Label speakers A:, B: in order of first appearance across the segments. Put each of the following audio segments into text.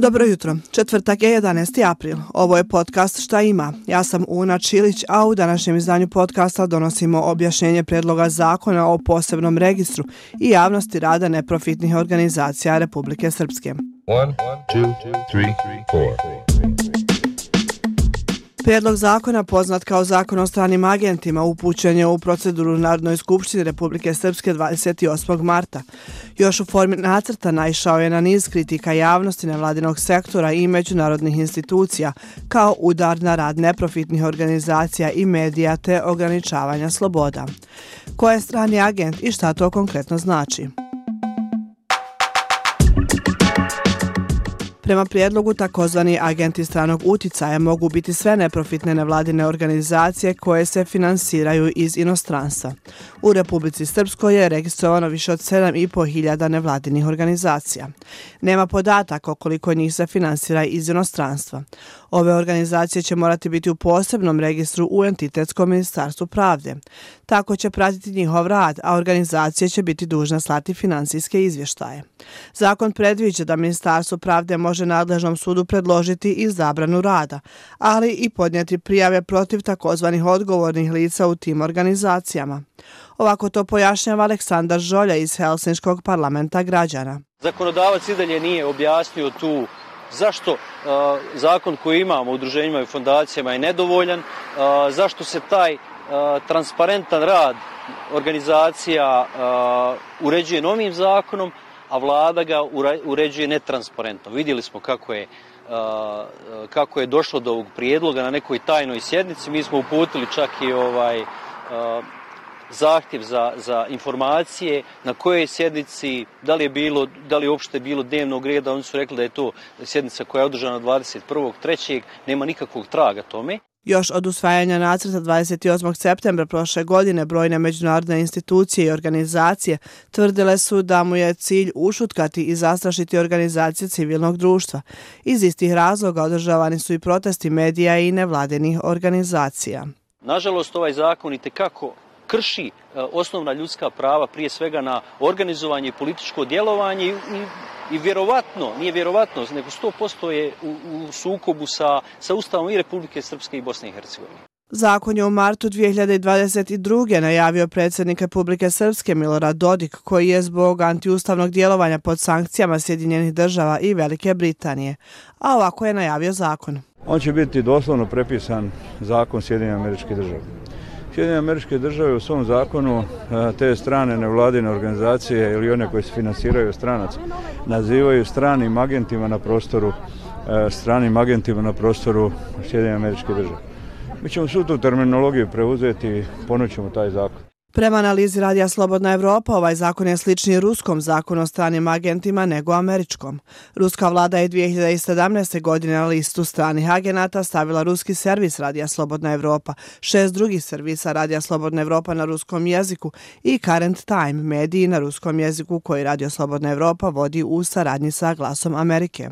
A: Dobro jutro, četvrtak je 11. april. Ovo je podcast Šta ima. Ja sam Una Čilić, a u današnjem izdanju podcasta donosimo objašnjenje prijedloga zakona o posebnom registru i javnosti rada neprofitnih organizacija Republike Srpske.
B: 1, 2, 3, 4.
A: Prijedlog zakona, poznat kao Zakon o stranim agentima, upućen je u proceduru Narodnoj skupštini Republike Srpske 28. marta. Još u formi nacrta naišao je na niz kritika javnosti nevladinog sektora i međunarodnih institucija, kao udar na rad neprofitnih organizacija i medija te ograničavanja sloboda. Ko je strani agent i šta to konkretno znači? Prema prijedlogu, takozvani agenti stranog uticaja mogu biti sve neprofitne nevladine organizacije koje se finansiraju iz inostranstva. U Republici Srpskoj je registrovano više od 7.500 nevladinih organizacija. Nema podataka koliko njih se finansira iz inostranstva. Ove organizacije će morati biti u posebnom registru u entitetskom ministarstvu pravde. Tako će pratiti njihov rad, a organizacije će biti dužne slati finansijske izvještaje. Zakon predviđa da Ministarstvo pravde može nadležnom sudu predložiti i zabranu rada, ali i podnijeti prijave protiv takozvanih odgovornih lica u tim organizacijama. Ovako to pojašnjava Aleksandar Žolja iz Helsinškog parlamenta građana.
C: Zakonodavac i dalje nije objasnio tu zašto zakon koji imamo u udruženjima i fondacijama je nedovoljan, zašto se taj transparentan rad organizacija uređuje novim zakonom, a vlada ga uređuje netransparentno. Vidjeli smo kako je došlo do ovog prijedloga na nekoj tajnoj sjednici. Mi smo uputili čak i zahtjev za informacije na kojoj sjednici, da li je uopšte bilo dnevnog reda. Oni su rekli da je to sjednica koja je održana 21.3. Nema nikakvog traga tome.
A: Još od usvajanja nacrta 28. septembra prošle godine brojne međunarodne institucije i organizacije tvrdile su da mu je cilj ušutkati i zastrašiti organizacije civilnog društva. Iz istih razloga održavani su i protesti medija i nevladinih organizacija.
C: Nažalost, ovaj zakon itekako krši osnovna ljudska prava, prije svega na organizovanje i političko djelovanje i vjerovatno, nije vjerovatno, nego 100% je u sukobu sa Ustavom i Republike Srpske i Bosne i Hercegovine.
A: Zakon je u martu 2022. najavio predsjednik Republike Srpske Milorad Dodik, koji je zbog antiustavnog djelovanja pod sankcijama Sjedinjenih država i Velike Britanije. A ovako je najavio zakon.
D: On će biti doslovno prepisan zakon Sjedinjenih Američkih Država. Sjedinjene Američke Države u svom zakonu te strane nevladine organizacije ili one koje se finansiraju od stranaca nazivaju stranim agentima na prostoru Sjedinjenih Američkih Država. Mi ćemo svu tu terminologiju preuzeti i ponućemo taj zakon.
A: Prema analizi Radija Slobodna Evropa, ovaj zakon je sličniji ruskom zakonu o stranim agentima nego američkom. Ruska vlada je 2017. godine na listu stranih agenata stavila ruski servis Radija Slobodna Evropa, 6 drugih servisa Radija Slobodna Evropa na ruskom jeziku i Current Time, mediji na ruskom jeziku koji Radio Slobodna Evropa vodi u saradnji sa Glasom Amerike.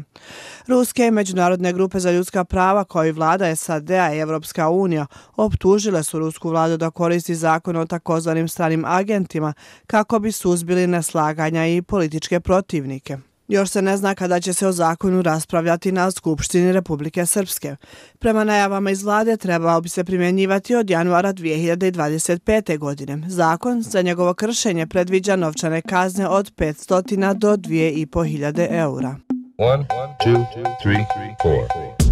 A: Ruske i međunarodne grupe za ljudska prava kao i vlada SAD-a i Evropska unija optužile su rusku vladu da koristi zakon o takozvanim stranim agentima kako bi suzbili neslaganja i političke protivnike. Još se ne zna kada će se o zakonu raspravljati na Skupštini Republike Srpske. Prema najavama iz vlade trebao bi se primjenjivati od januara 2025. godine. Zakon za njegovo kršenje predviđa novčane kazne od 500 do 2.500 eura.
B: 1, 2, 3, 4.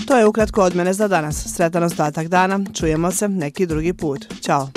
A: To je ukratko od mene za danas. Sretan ostatak dana. Čujemo se neki drugi put. Ćao.